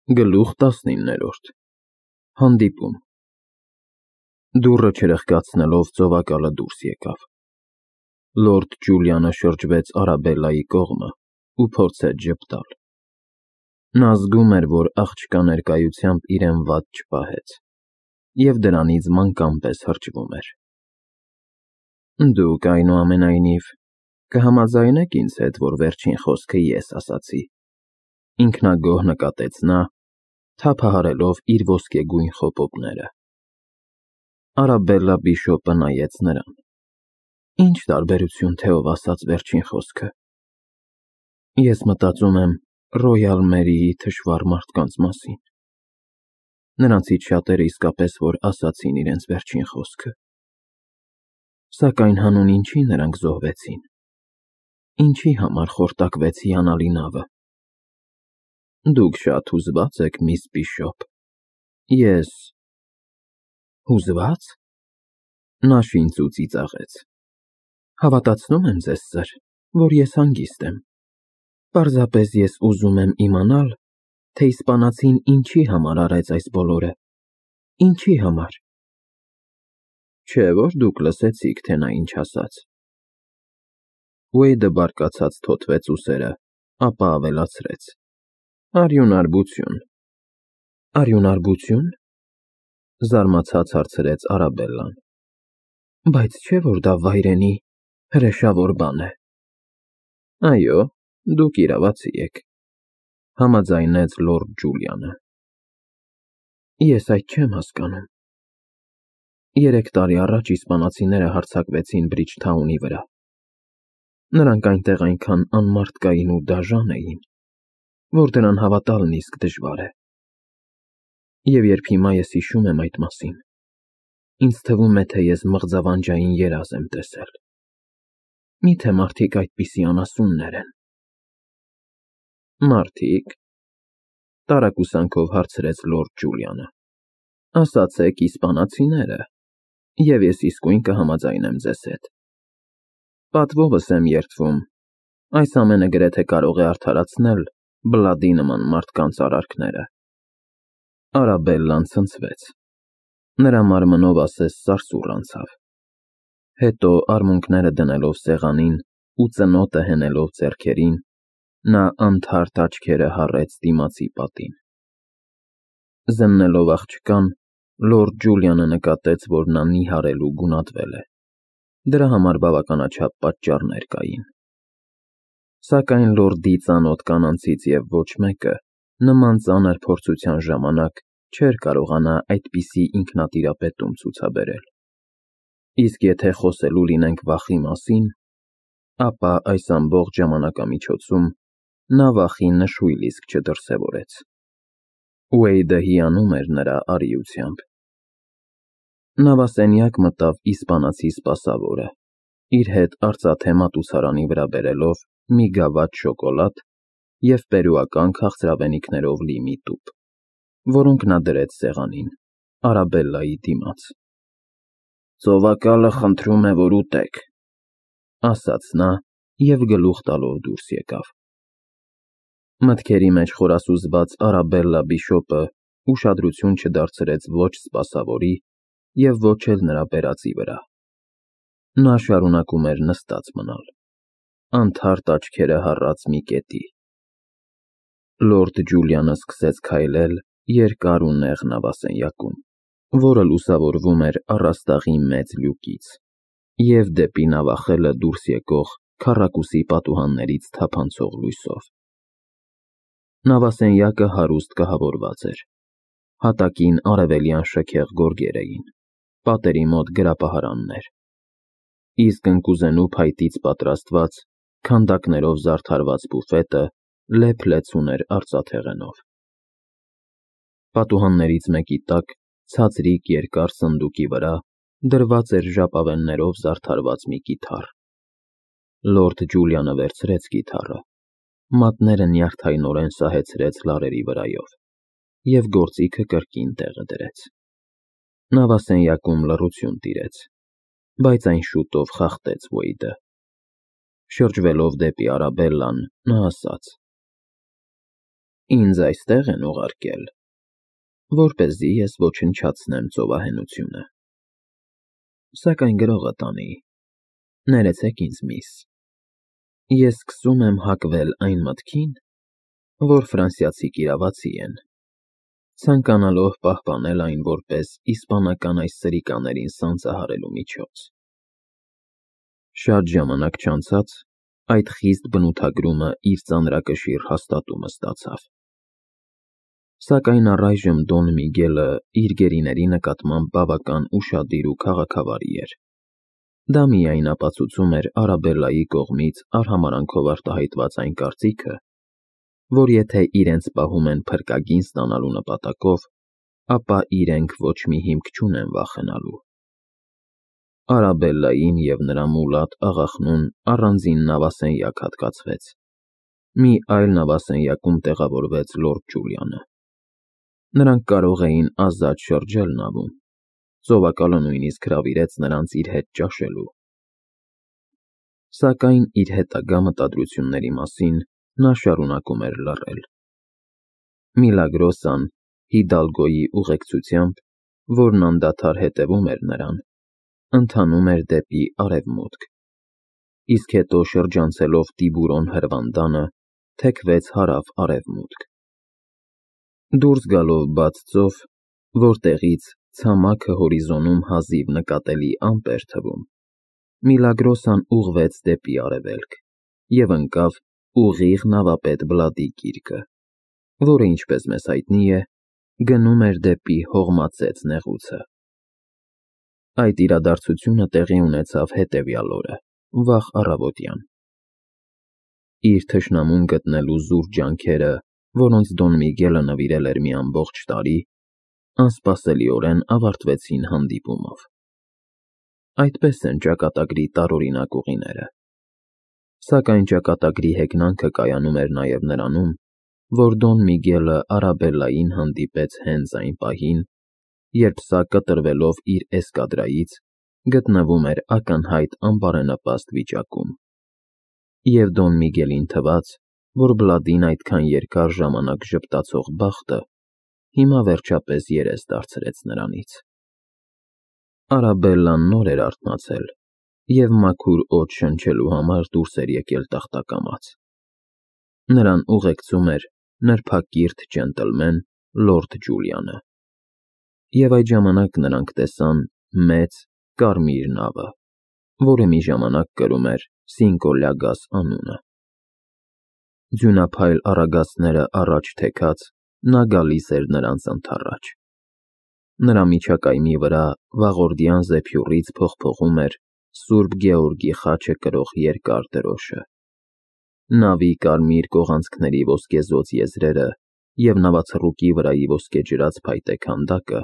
Գլուխ 19 Հանդիպում Դուռը չրխկացնելով ծովակալը դուրս եկավ։ Լորդ Ջուլիանը շրջվեց Արաբելլայի կողմը ու փորձեց ժպտալ։ Նա զգում էր, որ աղջկա ներկայությամբ իրեն վատ չպահեց, և դրանից մանկան պես հրճվում էր։ Դուք, այնուամենայնիվ, կհամաձայնեք ինձ հետ, որ վերջին խոսքը ես ասացի, ինքնագոհ նկատեց նա, թափահարելով իր ոսկեգույն խոպոպները։ Արաբելլա բիշոպը նայեց նրան։ Ինչ տարբերություն, թե ով ասաց վերջին խոսքը։ Ես մտածում եմ Ռոյալ Մերիի թշվառ մարդկանց մասին։ Նրանցից շատերը իսկապես որ ասացին իրենց վերջին խոսքը։ Սակայն հանուն ինչի նրանք զոհվեցին։ Ինչի համար խորտակվեց հիանալի նավը։ Դուք շատ հուզված եք, միս Բիշոպ։ Ես… Հուզվա՞ծ։ Նա շինծու ծիծաղեց։ Հավատացնում եմ ձեզ, սըր, որ ես հանգիստ եմ։ Պարզապես ես ուզում եմ իմանալ, թե իսպանացին ինչի համար արեց այս բոլորը։ Ինչի համար։ Չէ՞ որ դուք լսեցիք, թե նա ինչ ասաց։ Ուեյդը բարկացած թոթվեց ուսերը, ապա ավելացրեց. Արյունարբություն։ Արյունարբություն։ Զարմացած հարցրեց Արաբելլան։ Բայց չէ՞ որ դա վայրենի, հրեշավոր բան է։ Այո, դուք իրավացի եք, համաձայնեց լորդ Ջուլիանը։ Ես այդ չեմ հասկանում։ 3 տարի առաջ իսպանացիները հարձակվեցին Բրիջթաունի վրա։ Նրանք այնտեղ այնքան անմարդկային ու դաժան էին, որ դրան հավատալն իսկ դժվար է։ Եվ երբ հիմա ես հիշում եմ այդ մասին, ինձ թվում է, թե ես մղձավանջային երազ եմ տեսել։ Միթե մարդիկ այդպիսի անասուններ են։ Մարդիկ… Տարակուսանքով հարցրեց լորդ Ջուլիանը։ Ասացեք իսպանացիները, և ես իսկույն կհամաձայնեմ ձեզ հետ։ Պատվովս եմ երդվում, այս ամենը գրեթե կարող է արդարացնել Բլադի նման մարդկանց արարքները։ Արաբելլան ցնցվեց։ Նրա մարմնով ասես սարսուռ անցավ։ Հետո արմունկները դնելով սեղանին ու ծնոտը հենելով ձեռքերին, նա անթարթ աչքերը հառեց դիմացի պատին։ Զննելով աղջկան, լորդ Ջուլիանը նկատեց, որ նա նիհարել ու գունատվել է։ Դրա համար բավականաչափ պատճառներ կային։ Սակայն լորդի ծանոթ կանանցից և ոչ մեկը նման ծանր փորձության ժամանակ չէր կարողանա այդպիսի ինքնատիրապետում ցուցաբերել։ Իսկ եթե խոսելու լինենք վախի մասին, ապա այս ամբողջ ժամանակամիջոցում նա վախի նշույլ իսկ չդրսևորեց։ Ուեյդը հիանում էր նրա արիությամբ։ Նավասենյակ մտավ իսպանացի սպասավորը, իր հետ արծաթե մատուցարանի վրա բերելով մի գավաթ շոկոլադ և պերուական քաղցրավենիքներով լի մի տուփ, որոնք նա դրեց սեղանին, Արաբելլայի դիմաց։ Ծովակալը խնդրում է, որ ուտեք, ասաց նա և գլուխ տալով դուրս եկավ։ Մտքերի մեջ խորասուզված Արաբելլա բիշոպը ուշադրություն չդարձրեց ոչ սպասավորի և ոչ էլ նրա բերածի վրա։ Նա շարունակում էր նստած մնալ, անթարթ աչքերը հառած մի կետի։ Լորդ Ջուլիանը սկսեց քայլել երկար ու նեղ նավասենյակում, որը լուսավորվում էր առաստաղի մեծ լյուկից, և դեպի նավախելը դուրս եկող քառակուսի պատուհաններից թափանցող լույսով։ Նավասենյակը հարուստ կահավորված էր։ Հատակին արևելյան շքեղ գորգեր էին, պատերի մոտ գրապահարաններ, իսկ ընկուզենու փայտից պատրաստված, քանդակներով զարդարված բուֆետը լեփ-լեցուն ուներ արծաթեղենով։ Պատուհաններից մեկի տակ, ցածրիկ երկար սնդուկի վրա դրված էր ժապավեններով զարդարված մի կիթառ։ Լորդ Ջուլիանը վերցրեց կիթառը, մատները նյարդայնորեն սահեցրեց լարերի վրայով և գործիքը կրկին տեղը դրեց։ Նավասենյակում լռություն տիրեց, բայց այն շուտով խախտեց Ուեյդը։ Շրջվելով դեպի Արաբելլան, նա ասաց. Ինձ այստեղ են ուղարկել, որպեսզի ես ոչնչացնեմ ծովահենությունը։ Սակայն գրողը տանի, ներեցեք ինձ, միս, ես սկսում եմ հակվել այն մտքին, որ ֆրանսիացիք իրավացի են, ցանկանալով պահպանել այն որպես իսպանական այս սրիկաներին սանձահարելու միջոց։ Շատ ժամանակ չանցած այդ խիստ բնութագրումը իր ծանրակշիռ հաստատումը ստացավ։ Սակայն առայժմ Դոն Միգելը իր գերիների նկատմամբ բավական ուշադիր ու քաղաքավարի էր։ Դա միայն ապացուցում էր Արաբելլայի կողմից արհամարանքով արտահայտված այն կարծիքը, որ եթե իրենց պահում են փրկագին ստանալու նպատակով, ապա իրենք ոչ մի հիմք չունեն վախենալու։ Արաբելլային և նրա մուլատ աղախնուն առանձին նավասենյակ հատկացվեց։ Մի այլ նավասենյակում տեղավորվեց լորդ Ջուլիանը։ Նրանք կարող էին ազատ շրջել նավում, ծովակալը նույնիսկ հրավիրեց նրանց իր հետ ճաշելու։ Սակայն իր հետագա մտադրությունների մասին նա շարունակում էր լռել։ Միլագրոսան Հիդալգոյի ուղեկցությամբ, որն անդադար հետևում էր նրան, ընթանում էր դեպի արևմուտք, իսկ հետո շրջանցելով Տիբուրոն հրվանդանը, թեքվեց հարավ-արևմուտք։ Դուրս գալով բաց ծով, որտեղից ցամաքը հորիզոնում հազիվ նկատելի ամպ էր թվում, Միլագրոսան ուղղվեց դեպի արևելք և ընկավ ուղիղ նավապետ Բլադի գիրկը, որը, ինչպես մեզ հայտնի է, գնում էր դեպի Հողմածեց նեղուցը։ Այդ իրադարձությունը տեղի ունեցավ հետևյալ օրը, վաղ առավոտյան։ Իր թշնամուն գտնելու զուր ջանքերը, որոնց Դոն Միգելը նվիրել էր մի ամբողջ տարի, անսպասելիորեն ավարտվեցին հանդիպումով։ Այդպես են ճակատագրի տարօրինակ ուղիները։ Սակայն ճակատագրի հեգնանքը կայանում էր նաև նրանում, որ Դոն Միգելը Արաբելլային հանդիպեց հենց այն պահին, երբ սա կտրվելով իր էսկադրայից գտնվում էր ակնհայտ անբարենպաստ վիճակում։ Եվ Դոն Միգելին թվաց, որ Բլադին այդքան երկար ժամանակ ժպտացող բախտը հիմա վերջապես երես դարձրեց նրանից։ Արաբելլան նոր էր արթնացել և մաքուր օդ շնչելու համար դուրս էր եկել տախտակամած։ Նրան ուղեկցում էր նրբակիրթ ջենտլմեն լորդ Ջուլիանը։ Եվ այդ ժամանակ նրանք տեսան մեծ կարմիր նավը, որը մի ժամանակ կրում էր Սինկո Լյագաս անունը։ Ձյունափայլ առագաստները առաջ թեքած, նա գալիս էր նրանց ընդառաջ։ Նրա միջակայմի վրա վաղորդյան զեփյուռից փողփողում էր Սուրբ Գեորգի խաչը կրող երկար դրոշը։ Նավի կարմիր կողանցքների ոսկեզօծ եզրերը և նավացռուկի վրայի ոսկեջրած փայտե քանդակը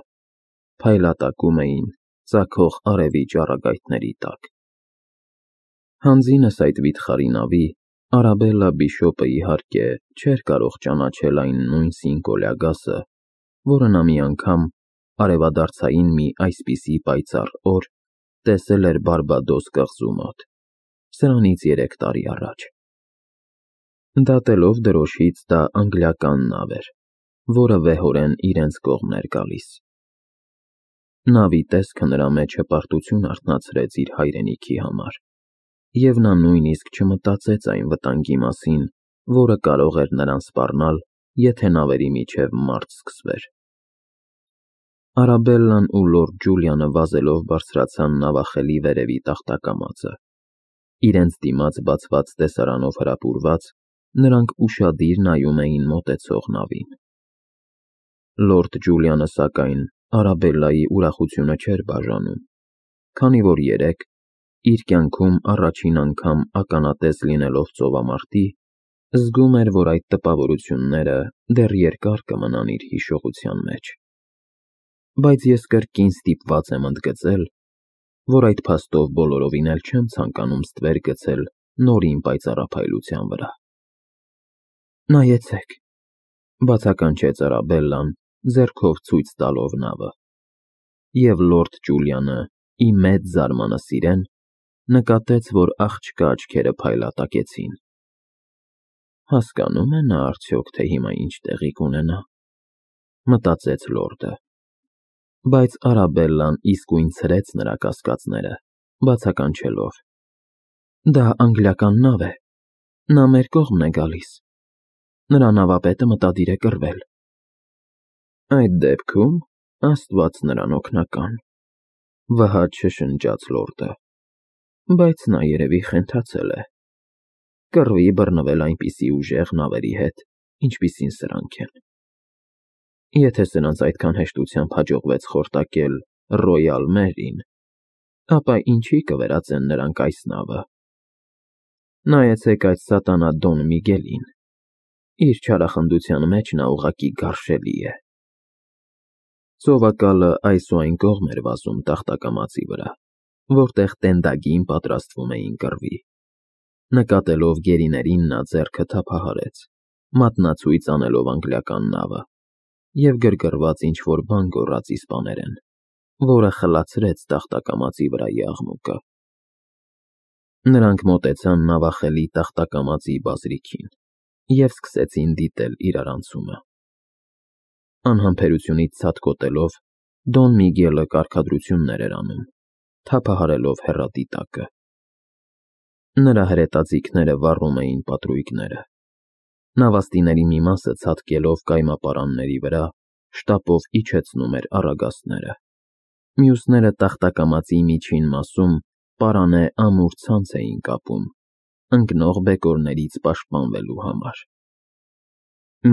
փայլատակում էին ծագող արևի ճառագայթների տակ։ Հանձինս այդ վիթխարի նավի Արաբելլա բիշոպը, իհարկե, չէր կարող ճանաչել այն նույն Սինկո Լյագասը, որը նա մի անգամ արևադարձային մի այսպիսի պայծառ օր տեսել էր Բարբադոս կղզու մոտ, սրանից 3 տարի առաջ։ Դատելով դրոշից, դա անգլիական նավ էր, որը վեհորեն իրենց կողմն էր գալիս։ Նավի տեսքը նրա մեջ հպարտություն արթնացրեց իր հայրենիքի համար, և նա նույնիսկ չմտածեց այն վտանգի մասին, որը կարող էր նրան սպառնալ, եթե նավերի միջև մարտ սկսվեր։ Արաբելլան ու լորդ Ջուլիանը վազելով բարձրացան նավախելի վերևի տախտակամածը։ Իրենց դիմաց բացված տեսարանով հրապուրված, նրանք ուշադիր նայում էին մոտեցող նավին։ Լորդ Ջուլիանը, սակայն, Արաբելլայի ուրախությունը չէր բաժանում, քանի որ երեկ, իր կյանքում առաջին անգամ ականատես լինելով ծովամարտի, զգում էր, որ այդ տպավորությունները դեռ երկար կմնան իր հիշողության մեջ։ Բայց ես կրկին ստիպված եմ ընդգծել, որ այդ փաստով բոլորովին էլ չեմ ցանկանում ստվեր գցել նորին պայծառափայլության վրա։ Նայեցեք, բացականչեց Արաբելլան, ձեռքով ցույց տալով նավը։ Եվ լորդ Ջուլիանը, ի մեծ զարմանս իրեն, նկատեց, որ աղջկա աչքերը փայլատակեցին։ Հասկանում է նա արդյոք, թե հիմա ինչ տեղի կունենա, մտածեց լորդը, բայց Արաբելլան իսկույն ցրեց նրա կասկածները, բացականչելով. Դա անգլիական նավ է, նա մեր կողմն է գալիս, նրա նավապետը մտադիր է կռվել։ Այդ դեպքում Աստված նրան օգնական, վհաճ շշնջաց լորդը, բայց նա երևի խենթացել է, կռվի բռնվել այնպիսի ուժեղ նավերի հետ, ինչպիսին սրանք են։ Եթե սրանց այդքան հեշտությամբ հաջողվեց խորտակել Ռոյալ Մերին, ապա ինչի կվերածեն նրանք այս նավը։ Նայեցեք այդ սատանա Դոն Միգելին, իր չարախնդության մեջ նա ուղղակի գարշելի է։ Ծովակալը այս ու այն կողմ էր վազում տախտակամածի վրա, որտեղ տենդագին պատրաստվում էին կռվի։ Նկատելով գերիներին նա ձեռքը թափահարեց, մատնացույց անելով անգլիական նավը, և գրգռված ինչ-որ բան գոռաց իսպաներեն, որը խլացրեց տախտակամածի վրայի աղմուկը։ Նրանք մոտեցան նավախելի տախտակամածի բազրիքին և սկսեցին դիտել իրարանցումը։ Անհամբերությունից ցատկոտելով, Դոն Միգելը կարգադրություններ էր անում, թափահարելով հեռադիտակը։ Նրա հրետաձիգները վառում էին պատրույգները։ Նավաստիների մի մասը ցատկելով կայմապարանների վրա, շտապով իջեցնում էր առագաստները։ Մյուսները տախտակամածի միջին մասում պարանե ամուր ցանց էին կապում, ընկնող բեկորներից պաշտպանվելու համար։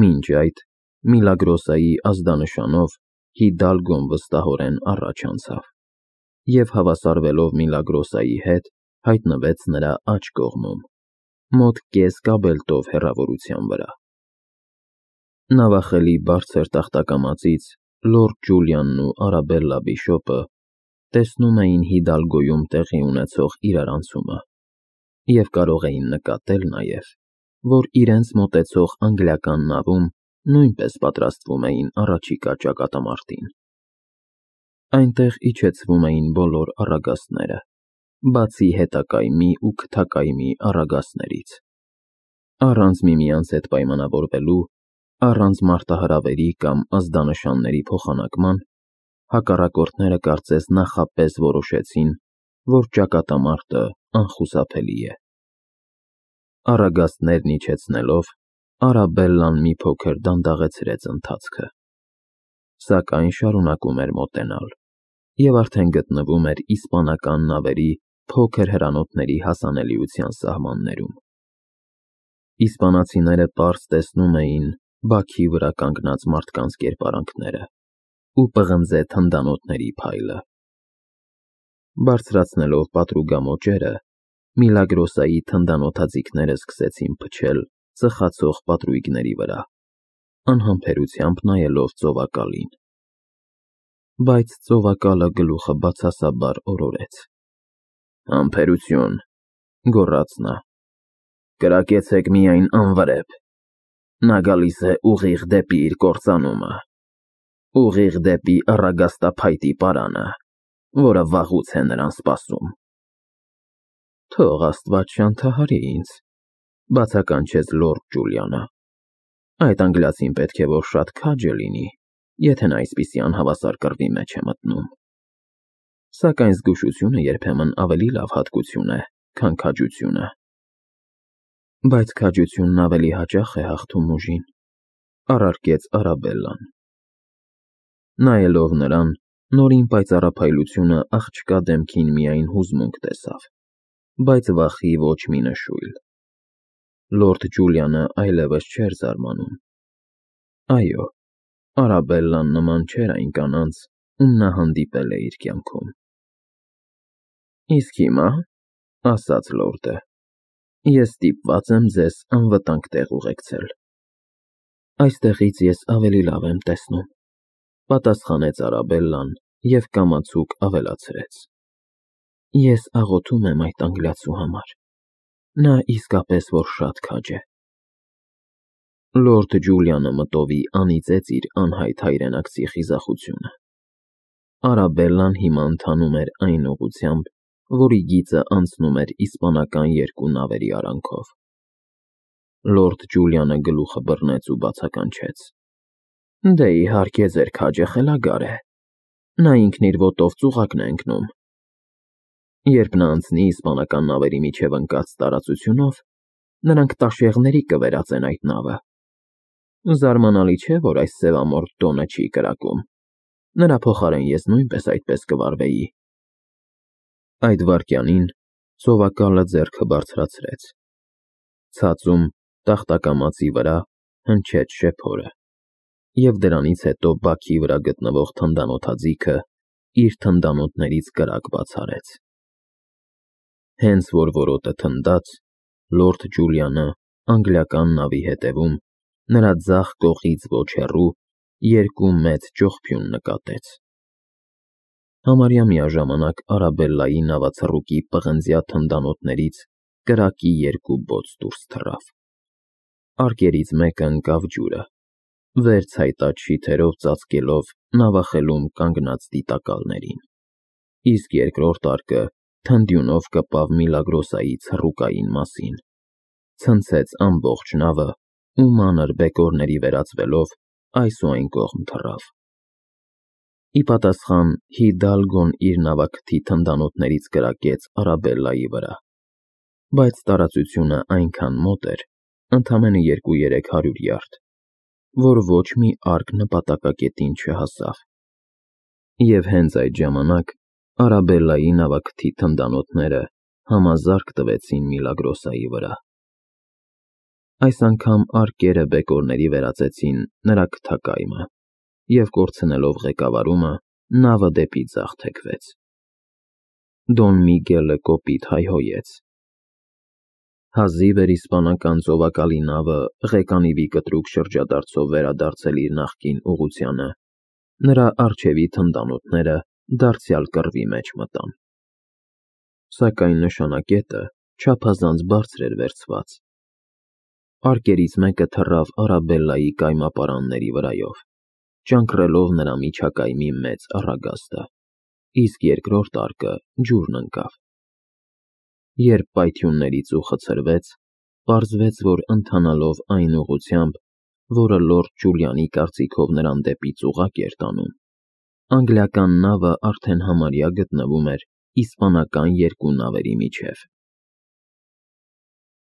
Մինչ այդ, Միլագրոսայի ազդանշանով Հիդալգոն վստահորեն առաջ անցավ և հավասարվելով Միլագրոսայի հետ հայտնվեց նրա աջ կողմում, մոտ կես կաբելտով հեռավորության վրա։ Նավախելի բարձր տախտակամածից լորդ Ջուլիանն ու Արաբելլա Բիշոպը տեսնում էին Հիդալգոյում տեղի ունեցող իրարանցումը և կարող էին նկատել նաև, որ իրենց մոտեցող անգլիական նավում նույնպես պատրաստվում էին առաջիկա ճակատամարտին։ Այնտեղ իջեցվում էին բոլոր առագաստները, բացի հետակայմի ու քթակայմի առագաստներից։ Առանց միմյանց հետ պայմանավորվելու, առանց մարտահրավերի կամ ազդանշանների փոխանակման, հակառակորդները կարծես նախապես որոշեցին, որ ճակատամարտը անխուսափելի է։ Առագաստներն իջեցնելով, Արաբելլան մի փոքր դանդաղեցրեց ընթացքը, սակայն շարունակում էր մոտենալ և արդեն գտնվում էր իսպանական նավերի փոքր հրանոթների հասանելիության սահմաններում։ Իսպանացիները պարզ տեսնում էին բաքի վրա կանգնած մարդկանց կերպարանքները ու պղնձե թնդանոթների փայլը։ Բարձրացնելով պատրուգամոճերը, Միլագրոսայի թնդանոթաձիգները սկսեցին փչել ծխացող պատրույգների վրա, անհամբերությամբ նայելով ծովակալին։ Բայց ծովակալը գլուխը բացասաբար օրորեց։ Համբերություն, գոռաց նա, կրակեցեք միայն անվրեպ, նա գալիս է ուղիղ դեպի իր կործանումը, ուղիղ դեպի առագաստափայտի պարանը, որը վաղուց է նրան սպասում։ Թող Աստված շանթահարի ինձ, բացականչեց լորդ Ջուլիանը։ Այդ անգլիացին պետք է որ շատ քաջ լինի, եթե նա այսպիսի անհավասար կռվի մեջ է մտնում։ Սակայն զգուշությունը երբեմն ավելի լավ հատկություն է, քան քաջությունը։ Բայց քաջությունն ավելի հաճախ է հաղթում ուժին, առարկեց Արաբելլան։ Նայելով նրան, նորին պայծառափայլությունը աղջկա դեմքին միայն հուզմունք տեսավ, բայց վախի ոչ մի նշույլ։ Լորդ Ջուլիանը այլևս չէր զարմանում։ Այո, Արաբելլան նման չէր այն կանանց, ում նա հանդիպել է իր կյանքում։ Իսկ հիմա, ասաց լորդը, ես ստիպված եմ ձեզ անվտանգ տեղ ուղեկցել։ Այստեղից ես ավելի լավ եմ տեսնում, պատասխանեց Արաբելլան և կամացուկ ավելացրեց. Ես աղոթում եմ այդ անգլիացու համար, նա իսկապես որ շատ քաջ է։ Լորդ Ջուլիանը մտովի անիծեց իր անհայտ հայրենակցի խիզախությունը։ Արաբելլան հիմա ընթանում էր այն ուղղությամբ, որի գիծը անցնում էր իսպանական երկու նավերի արանքով։ Լորդ Ջուլիանը գլուխը բռնեց ու բացականչեց. Դե իհարկե ձեր քաջը խելագար է։ Նա ինքն իր ոտով ծուղակն է ընկնում։ Երբ նա անցնի իսպանական նավերի միջև ընկած տարածությունով, նրանք տաշեղների կվերածեն այդ նավը։ Զարմանալի չէ, որ այս սևամորթ Դոնը չի կրակում։ Նրա փոխարեն ես նույնպես այդպես կվարվեի։ Այդ վայրկյանին ծովակալը ձեռքը բարձրացրեց։ Ցածում տախտակամածի վրա հնչեց շեփորը, և դրանից հետո բաքի վրա գտնվող թնդանոթաձիգը իր թնդանոթներից կրակ բաց արեց։ Հենց որ որոտը թնդաց, լորդ Ջուլիանը անգլիական նավի հետևում, նրա ձախ կողից ոչ հեռու, երկու մեծ ճողփյուն նկատեց։ Համարյա միաժամանակ Արաբելլայի նավացռուկի պղնձյա թնդանոթներից կրակի երկու բոց դուրս թռավ։ Արկերից մեկը ընկավ ջուրը, վեր ցայտաց շիթերով ծածկելով նավախելում կանգնած դիտակալներին, իսկ երկրորդ արկը թնդյունով կպավ Միլագրոսայի ցռուկային մասին, ցնցեց ամբողջ նավը ու մանր բեկորների վերածվելով այս ու այն կողմ թռավ։ Ի պատասխան Հիդալգոն իր նավակթի թնդանոթներից կրակեց Արաբելլայի վրա, բայց տարածությունը այնքան մոտ էր, ընդամենը 200-300 յարդ, որ ոչ մի արկ նպատակակետին չհասավ։ Եվ հենց այդ ժամանակ Արաբելլայի նավակթի թնդանոթները համազարկ տվեցին Միլագրոսայի վրա։ Այս անգամ արկերը բեկորների վերածեցին նրա քթակայմը, և կորցնելով ղեկավարումը, նավը դեպի ձախ թեքվեց։ Դոն Միգելը կոպիտ հայհոյեց։ Հազիվ էր իսպանական ծովակալի նավը ղեկանիվի կտրուկ շրջադարձով վերադարձել իր նախկին ուղղությանը, նրա առջևի թնդանոթները դարձյալ կռվի մեջ մտան։ Սակայն նշանակետը չափազանց բարձր էր վերցված։ Արկերից մեկը թռավ Արաբելլայի կայմապարանների վրայով, ճանկռելով նրա միջակայմի մեծ առագաստը, իսկ երկրորդ արկը ջուրն ընկավ։ Երբ պայթյունների ծուխը ցրվեց, պարզվեց, որ ընթանալով այն ուղղությամբ, որը լորդ Ջուլիանի կարծիքով նրան դեպի ծուղակ էր տանում, անգլիական նավը արդեն համարյա գտնվում էր իսպանական երկու նավերի միջև։